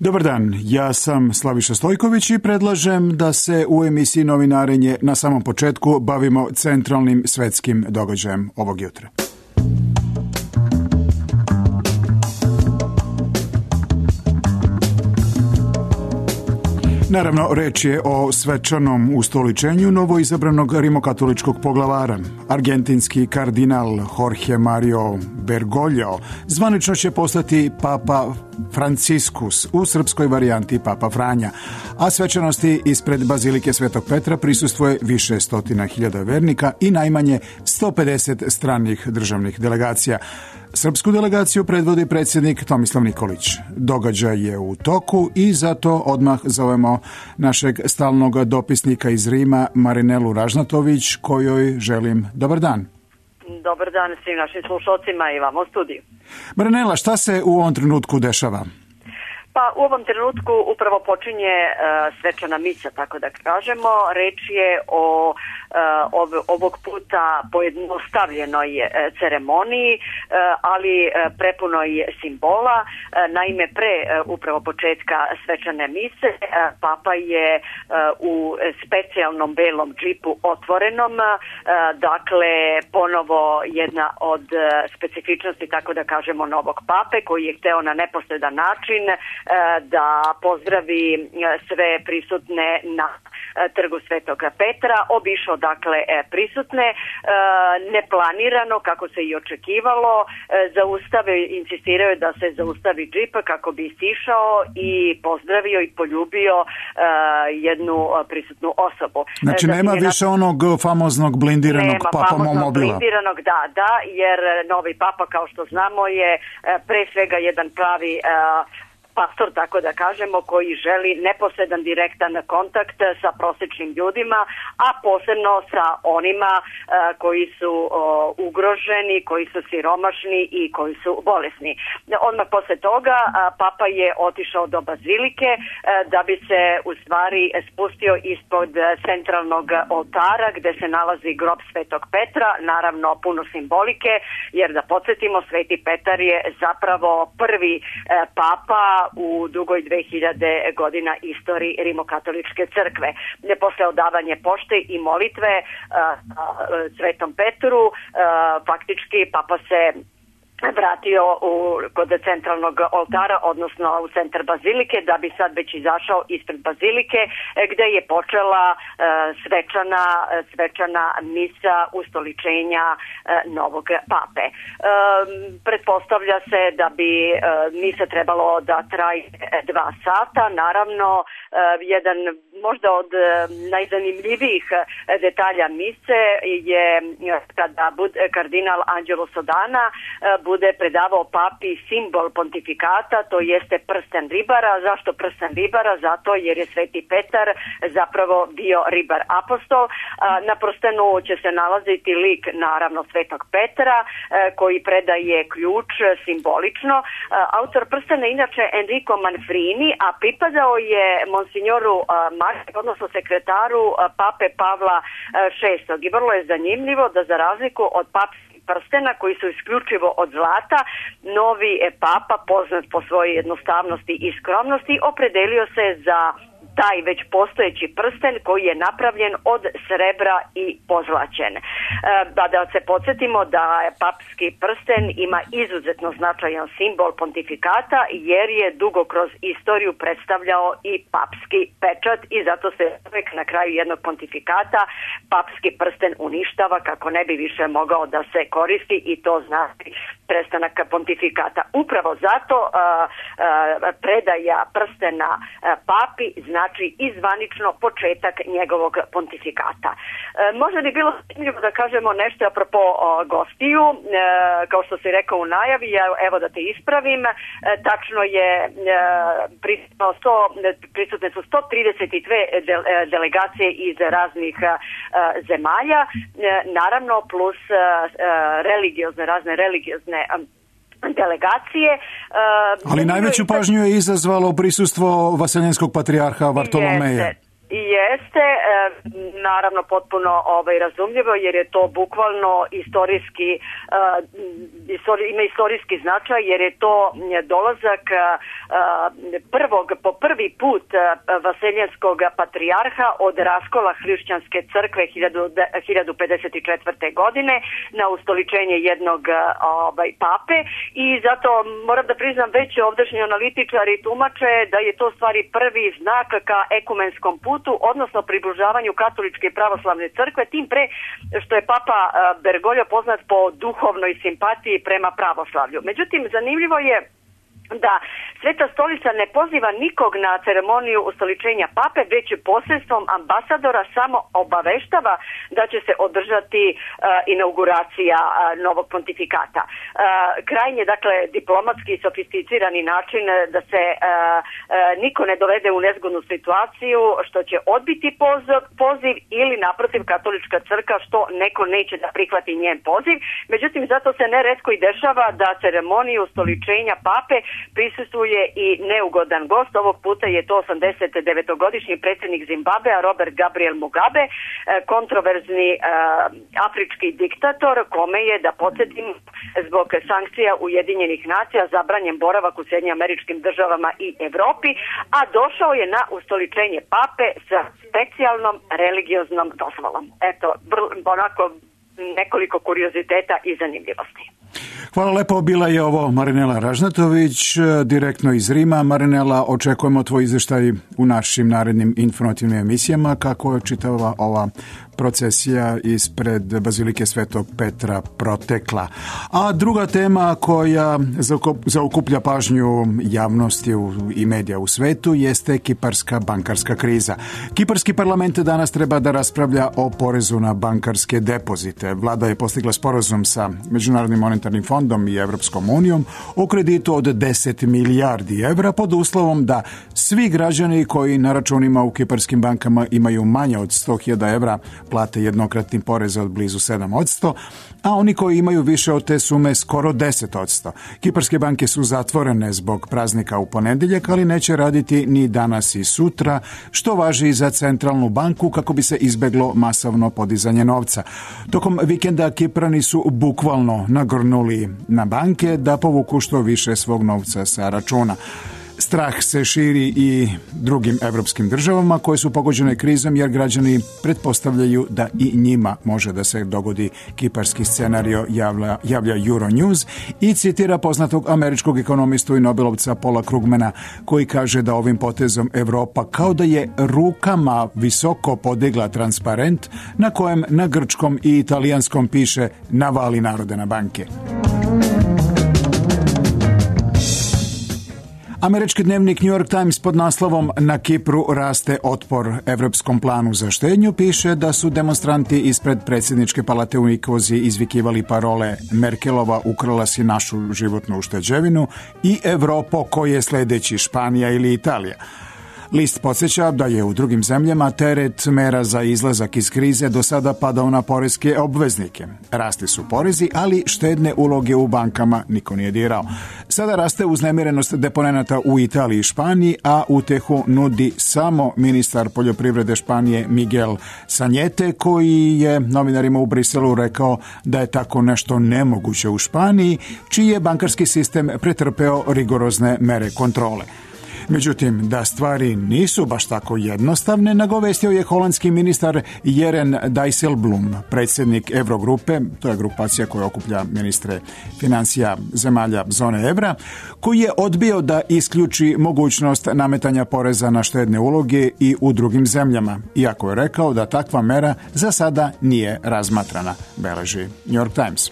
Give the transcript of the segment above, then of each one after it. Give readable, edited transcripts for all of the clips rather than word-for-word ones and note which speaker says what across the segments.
Speaker 1: Dobar dan, ja sam Slaviša Stojković i predlažem da se u emisiji Novinarenje na samom početku bavimo centralnim svetskim događajem ovog jutra. Naravno, reč je o svečanom ustoličenju novoizabranog rimokatoličkog poglavara. Argentinski kardinal Jorge Mario Bergoglio zvanično će postati Papa Franciscus, u srpskoj varijanti Papa Franja, a svečanosti ispred Bazilike Svetog Petra prisustvuje više stotina hiljada vernika i najmanje 150 stranih državnih delegacija. Srpsku delegaciju predvodi predsjednik Tomislav Nikolić. Događaj je u toku i zato odmah zovemo našeg stalnog dopisnika iz Rima, Marinelu Ražnatović, kojoj želim dobar dan.
Speaker 2: Dobar dan svim našim slušalcima i vama u studiju.
Speaker 1: Marinela, šta se u ovom trenutku dešava?
Speaker 2: Pa u ovom trenutku upravo počinje svečana misa, tako da kažemo. Reč je o ovog puta pojednostavljenoj ceremoniji, ali prepunoj simbola. Naime, pre upravo početka svečane mise, Papa je u specijalnom belom džipu otvorenom, dakle ponovo jedna od specifičnosti, tako da kažemo, novog Pape, koji je hteo na neposredan način da pozdravi sve prisutne na Trgu Svetog Petra, obišao dakle prisutne, neplanirano, kako se i očekivalo, insistirao je da se zaustavi džip kako bi sišao i pozdravio i poljubio jednu prisutnu osobu.
Speaker 1: Znači nema više onog famoznog blindiranog papamomobila.
Speaker 2: Blindiranog, da, jer novi Papa, kao što znamo, je pre svega jedan pravi pastor, tako da kažemo, koji želi neposredan direktan kontakt sa prosječnim ljudima, a posebno sa onima koji su ugroženi, koji su siromašni i koji su bolesni. Odmah posle toga Papa je otišao do Bazilike da bi se u stvari spustio ispod centralnog oltara gde se nalazi grob Svetog Petra, naravno puno simbolike, jer da podsjetimo, Sveti Petar je zapravo prvi Papa u dugoj 2000 godina istoriji Rimokatoličke crkve. Posle odavanja pošte i molitve Svetom Petru, faktički Papa se vratio kod centralnog oltara, odnosno u centar Bazilike, da bi sad već izašao ispred Bazilike, gde je počela svečana misa ustoličenja novog Pape. Pretpostavlja se da bi misa trebalo da traje 2 sata. Naravno, jedan možda od najzanimljivijih detalja mise je kada kardinal Angelo Sodana bude predavao Papi simbol pontifikata, to jeste prsten ribara. Zašto prsten ribara? Zato jer je Sveti Petar zapravo bio ribar apostol. Na prstenu će se nalaziti lik, naravno, Svetog Petra, koji predaje ključ simbolično. Autor prstena inače Enrico Manfrini, a pripadao je monsignoru odnosno sekretaru Pape Pavla VI. I vrlo je zanimljivo da za razliku od papskih prstena koji su isključivo od zlata, novi Papa, poznat po svojoj jednostavnosti i skromnosti, opredelio se za taj već postojeći prsten koji je napravljen od srebra i pozlaćen. Da se podsjetimo da papski prsten ima izuzetno značajan simbol pontifikata, jer je dugo kroz istoriju predstavljao i papski pečat i zato se uvek na kraju jednog pontifikata papski prsten uništava kako ne bi više mogao da se koristi, i to znači prestanak pontifikata. Upravo zato predaja prstena Papi znači i zvanično početak njegovog pontifikata. Možda bi bilo zanimljivo da kažemo nešto apropo gostiju, kao što si rekao u najavi, evo da te ispravim, tačno je prisutne su 132 delegacije iz raznih zemalja, naravno plus razne religiozne delegacije.
Speaker 1: Ali najveću pažnju je izazvalo prisustvo vaseljenskog patrijarha Vartolomeja.
Speaker 2: Jeste, naravno potpuno razumljivo, jer je to bukvalno ima istorijski značaj, jer je to dolazak po prvi put vaseljenskog patrijarha od raskola hrišćanske crkve 1054. godine na ustoličenje jednog pape, i zato moram da priznam, već ovdašnji analitičari tumače da je to stvari prvi znak ka ekumenskom putu, odnosno približavanju katoličke i pravoslavne crkve, tim pre što je papa Bergoglio poznat po duhovnoj simpatiji prema pravoslavlju. Međutim, zanimljivo je da Sveta stolica ne poziva nikog na ceremoniju ustoličenja pape, već posredstvom ambasadora samo obaveštava da će se održati inauguracija novog pontifikata. Krajnje, dakle, diplomatski i sofisticirani način da se niko ne dovede u nezgodnu situaciju što će odbiti poziv ili naprotiv katolička crkva što neko neće da prihvati njen poziv. Međutim, zato se neretko i dešava da ceremoniju ustoličenja pape prisustvuje i neugodan gost. Ovog puta je to 89-godišnji predsjednik Zimbabvea Robert Gabriel Mugabe, kontroverzni afrički diktator kome je, da podsjetim, zbog sankcija Ujedinjenih nacija zabranjen boravak u Sjedinjenim Američkim Državama i Evropi, a došao je na ustoličenje pape sa specijalnom religioznom dozvolom. Eto, onako nekoliko kurioziteta i zanimljivosti.
Speaker 1: Hvala lepo, bila je ovo Marinela Ražnatović, direktno iz Rima. Marinela, očekujemo tvoj izvještaj u našim narednim informativnim emisijama, kako je čitava ova procesija ispred Bazilike Svetog Petra protekla. A druga tema koja zaokuplja pažnju javnosti i medija u svetu jeste kiparska bankarska kriza. Kiparski parlament danas treba da raspravlja o porezu na bankarske depozite. Vlada je postigla sporazum sa Međunarodnim monetarnim fondom i Evropskom unijom o kreditu od 10 milijardi evra pod uslovom da svi građani koji na računima u kiparskim bankama imaju manje od 100.000 evra plate jednokratni porez od blizu 7%, a oni koji imaju više od te sume skoro 10%. Kiparske banke su zatvorene zbog praznika u ponedjeljak, ali neće raditi ni danas i sutra, što važi i za centralnu banku kako bi se izbeglo masovno podizanje novca. Tokom vikenda Kiprani su bukvalno nagrnuli na banke da povuku što više svog novca sa računa. Strah se širi i drugim evropskim državama koje su pogođene krizom, jer građani pretpostavljaju da i njima može da se dogodi kiparski scenario, javlja Euronews i citira poznatog američkog ekonomistu i Nobelovca Paula Krugmana, koji kaže da ovim potezom Evropa kao da je rukama visoko podigla transparent na kojem na grčkom i italijanskom piše "Navali narode na banke". Američki dnevnik New York Times pod naslovom "Na Kipru raste otpor evropskom planu za štednju" piše da su demonstranti ispred predsjedničke palate u Nikozi izvikivali parole "Merkelova ukrala si našu životnu ušteđevinu" i "Evropo, ko je sljedeći, Španija ili Italija". List podsjeća da je u drugim zemljama teret mera za izlazak iz krize do sada padao na poreske obveznike. Rasli su porezi, ali štedne uloge u bankama niko nije dirao. Sada raste uznemirenost deponenata u Italiji i Španiji, a utehu nudi samo ministar poljoprivrede Španije Miguel Sanjete, koji je novinarima u Briselu rekao da je tako nešto nemoguće u Španiji, čiji je bankarski sistem pretrpeo rigorozne mere kontrole. Međutim, da stvari nisu baš tako jednostavne, nagovestio je holandski ministar Jeren Dijsselbloem, predsjednik Eurogrupe, to je grupacija koja okuplja ministre financija zemalja zone evra, koji je odbio da isključi mogućnost nametanja poreza na štedne uloge i u drugim zemljama, iako je rekao da takva mera za sada nije razmatrana, beleži New York Times.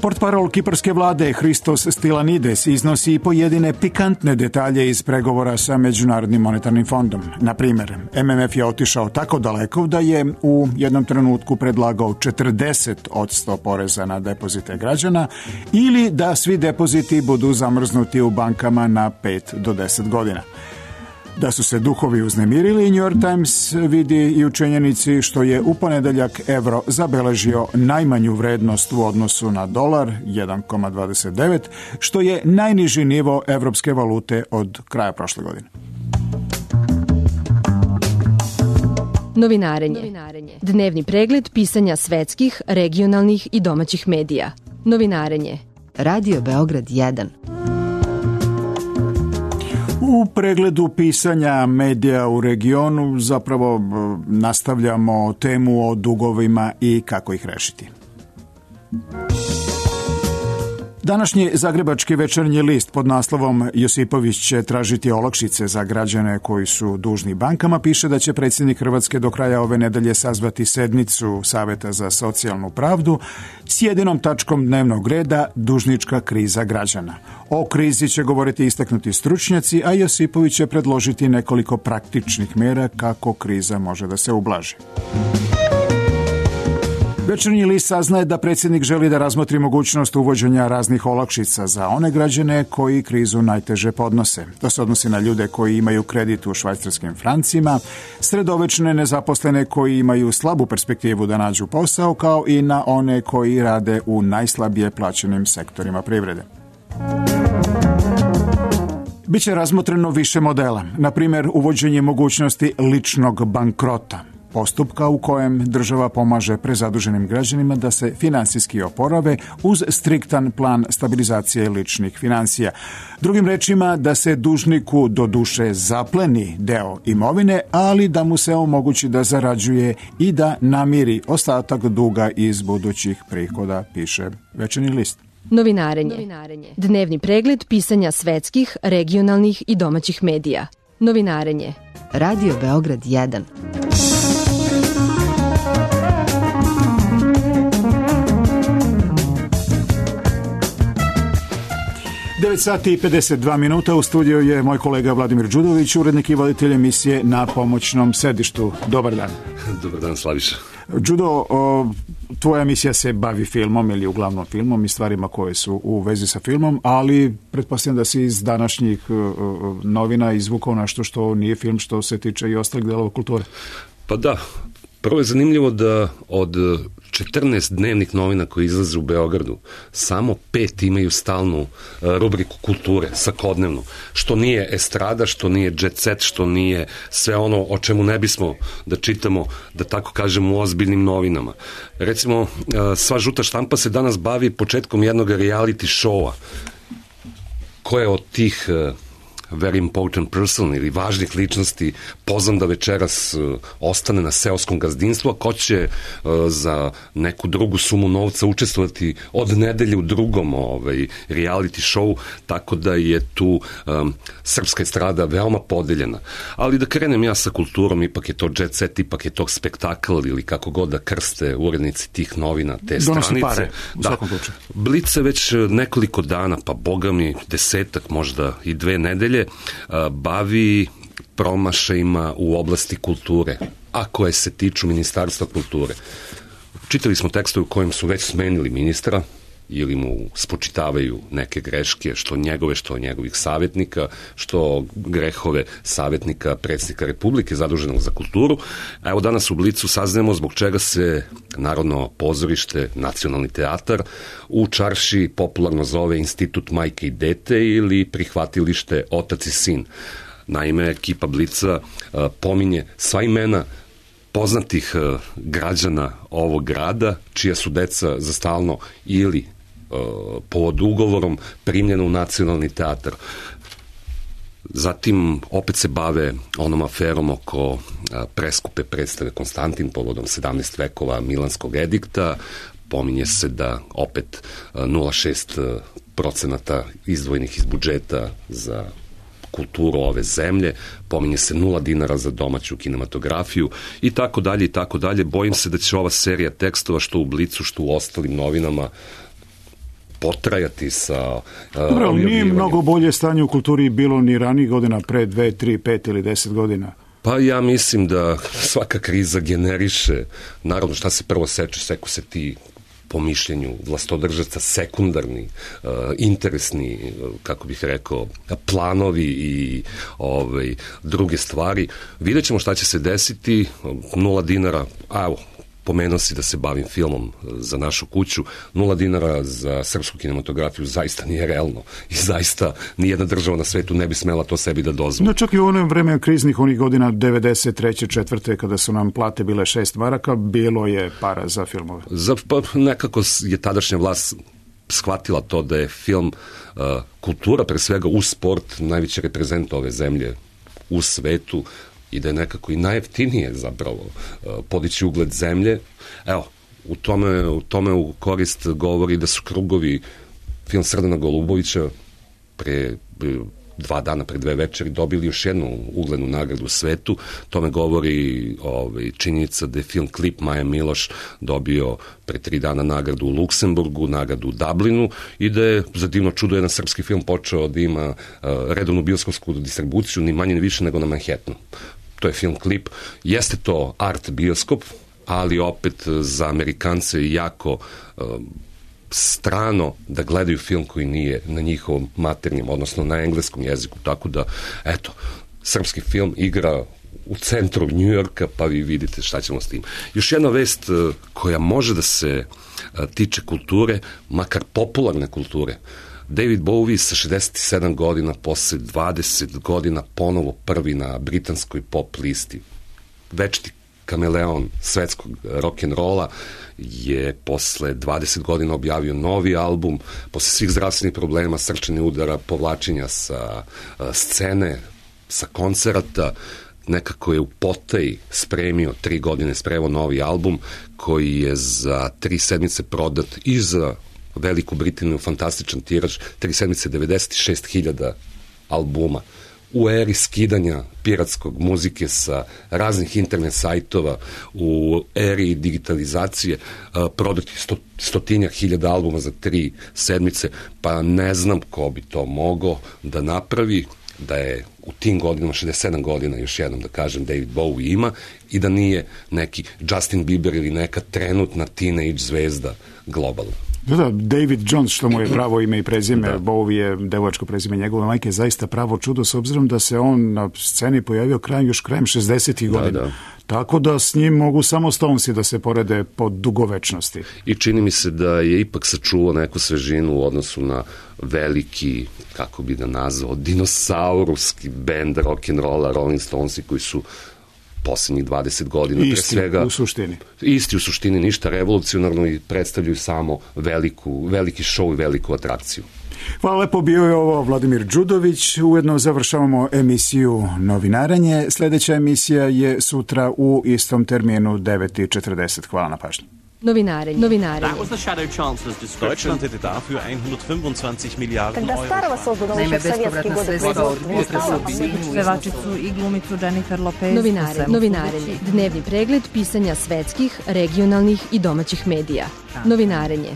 Speaker 1: Portparol kiparske vlade Christos Stylianides iznosi i pojedine pikantne detalje iz pregovora sa Međunarodnim monetarnim fondom. Na primjer, MMF je otišao tako daleko da je u jednom trenutku predlagao 40% poreza na depozite građana ili da svi depoziti budu zamrznuti u bankama na 5 do 10 godina. Da su se duhovi uznemirili, New York Times vidi i u činjenici što je u ponedjeljak euro zabeležio najmanju vrednost u odnosu na dolar 1,29, što je najniži nivo evropske valute od kraja prošle godine.
Speaker 3: Novinarenje. Dnevni pregled pisanja svetskih, regionalnih i domaćih medija. Novinarenje. Radio Beograd 1.
Speaker 1: U pregledu pisanja medija u regionu zapravo nastavljamo temu o dugovima i kako ih rešiti. Današnji zagrebački Večernji list pod naslovom Josipović će tražiti olakšice za građane koji su dužni bankama piše da će predsjednik Hrvatske do kraja ove nedelje sazvati sednicu Saveta za socijalnu pravdu s jedinom tačkom dnevnog reda dužnička kriza građana. O krizi će govoriti istaknuti stručnjaci, a Josipović će predložiti nekoliko praktičnih mjera kako kriza može da se ublaži. Večernji list saznaje da predsjednik želi da razmotri mogućnost uvođenja raznih olakšica za one građane koji krizu najteže podnose. To se odnosi na ljude koji imaju kredit u švajcarskim francima, sredovečne nezaposlene koji imaju slabu perspektivu da nađu posao, kao i na one koji rade u najslabije plaćenim sektorima privrede. Biće razmotreno više modela, na primjer uvođenje mogućnosti ličnog bankrota, postupka u kojem država pomaže prezaduženim građanima da se finansijski oporave uz striktan plan stabilizacije ličnih financija. Drugim rečima, da se dužniku do duše zapleni deo imovine, ali da mu se omogući da zarađuje i da namiri ostatak duga iz budućih prihoda, piše Večernji list.
Speaker 3: Novinarenje. Dnevni pregled pisanja svetskih, regionalnih i domaćih medija. Novinarenje. Radio Beograd 1.
Speaker 1: 9 sati i 52 minuta, u studiju je moj kolega Vladimir Đudović, urednik i voditelj emisije Na pomoćnom sedištu. Dobar dan.
Speaker 4: Dobar dan, Slaviša.
Speaker 1: Đudo, tvoja emisija se bavi filmom ili uglavnom filmom i stvarima koje su u vezi sa filmom, ali pretpostavljam da si iz današnjih novina izvukao nešto što nije film, što se tiče i ostalih delova kulture.
Speaker 4: Pa da, prvo je zanimljivo da od 14 dnevnih novina koji izlaze u Beogradu, samo 5 imaju stalnu rubriku kulture, svakodnevnu, što nije estrada, što nije jet set, što nije sve ono o čemu ne bismo da čitamo, da tako kažem, u ozbiljnim novinama. Recimo, sva žuta štampa se danas bavi početkom jednog reality showa, koje od tih very important person ili važnih ličnosti pozvan da večeras ostane na seoskom gazdinstvu, a ko će za neku drugu sumu novca učestvovati od nedelje u drugom reality show, tako da je tu srpska estrada veoma podeljena. Ali da krenem ja sa kulturom, ipak je to jet set, ipak je to spektakl ili kako god da krste urednici tih novina, te stranice.
Speaker 1: Pare, u svakom slučaju.
Speaker 4: Blic se već nekoliko dana, pa boga mi 10, možda i 2 nedelje, bavi promašajima u oblasti kulture, a koje se tiču Ministarstva kulture. Čitali smo tekstove u kojem su već smenili ministra ili mu spočitavaju neke greške, što njegove, što njegovih savjetnika, što grehove savjetnika predsjednika Republike zaduženog za kulturu. A evo danas u Blicu saznajemo zbog čega se Narodno pozorište, Nacionalni teatar u Čarši popularno zove Institut majke i dete ili prihvatilište Otac i sin. Naime, ekipa Blica pominje sva imena poznatih građana ovog grada, čija su deca za stalno ili pod ugovorom primljena u Nacionalni teatar. Zatim opet se bave onom aferom oko preskupe predstave Konstantin povodom 17 vekova Milanskog edikta. Pominje se da opet 0,6% izdvojenih iz budžeta za kulturu ove zemlje, pominje se 0 dinara za domaću kinematografiju i tako dalje i tako dalje. Bojim se da će ova serija tekstova što u Blicu, što u ostalim novinama potrajati sa
Speaker 1: Dobro, nije mnogo bolje stanje u kulturi bilo ni ranijih godina, pre 2, 3, 5 ili 10 godina.
Speaker 4: Pa ja mislim da svaka kriza generiše, naravno šta se prvo seku se ti po mišljenju vlastodržaca sekundarni, interesni, kako bih rekao, planovi i druge stvari. Vidjet ćemo šta će se desiti, 0 dinara, evo, pomenuo si da se bavim filmom za našu kuću, 0 dinara za srpsku kinematografiju zaista nije realno i zaista nijedna država na svetu ne bi smela to sebi da dozvoli.
Speaker 1: No čak i u onom vreme kriznih onih godina 93. 4. kada su nam plate bile 6 maraka, bilo je para za filmove.
Speaker 4: Pa nekako je tadašnja vlast shvatila to da je film kultura, pre svega uz sport, najveći reprezent ove zemlje u svetu i da je nekako i najjeftinije zapravo podići ugled zemlje. Evo, u tome u korist govori da su Krugovi, film Srdana Golubovića, pre 2 dana, pre 2 večeri, dobili još jednu uglednu nagradu u svetu. Tome govori činjenica da je film Klip Maja Miloš dobio pre 3 dana nagradu u Luksemburgu, nagradu u Dublinu i da je za divno čudo jedan srpski film počeo da ima redovnu bioskopsku distribuciju, ni manje ni više nego na Manhattanu. To je film Klip. Jeste to art bioskop, ali opet za Amerikance jako strano da gledaju film koji nije na njihovom maternjem, odnosno na engleskom jeziku. Tako da, eto, srpski film igra u centru Njujorka, pa vi vidite šta ćemo s tim. Još jedna vest koja može da se tiče kulture, makar popularne kulture. David Bowie sa 67 godina, posle 20 godina ponovo prvi na britanskoj pop listi. Večiti kameleon svetskog rock'n'rolla je posle 20 godina objavio novi album, posle svih zdravstvenih problema, srčanih udara, povlačenja sa scene, sa koncerata, nekako je u potaji spremio 3 godine, spremio novi album koji je za 3 sedmice prodat i za Veliku Britaniju fantastičan tiraž, 3 sedmice 96.000 albuma. U eri skidanja piratskog muzike sa raznih internet sajtova, u eri digitalizacije, prodati 100.000 albuma za 3 sedmice, pa ne znam ko bi to mogao da napravi, da je u tim godinama, 67 godina, još jednom da kažem, David Bowie ima i da nije neki Justin Bieber ili neka trenutna teenage zvezda globalna.
Speaker 1: Da, David Jones, što mu je pravo ime i prezime, da. Bowie je devojačko prezime njegove majke, je zaista pravo čudo, s obzirom da se on na sceni pojavio krajem 60. godina. Da. Tako da s njim mogu samo Stonesi da se porede po dugovečnosti.
Speaker 4: I čini mi se da je ipak sačuvao neku svežinu u odnosu na veliki, kako bi da nazvao, dinosauruski bend rock'n'rolla, Rolling Stonesi, koji su poslednjih 20 godina.
Speaker 1: Isti u suštini.
Speaker 4: Isti u suštini, ništa revolucionarno i predstavljaju samo veliki show i veliku atrakciju.
Speaker 1: Hvala lepo, bio je ovo Vladimir Đudović. Ujedno završavamo emisiju Novinarenje. Sledeća emisija je sutra u istom terminu 9:40. Hvala na pažnji.
Speaker 3: Novinarenje.
Speaker 5: That was the Shadow Chancellor's description. Deutschland hätte dafür 125 Milliarden Euro.
Speaker 6: Naime, bespovratna sredstva od budžeta su pevačicu i glumicu Jennifer Lopez.
Speaker 3: Novinarenje. Dnevni pregled pisanja svetskih, regionalnih i domaćih medija. Novinarenje.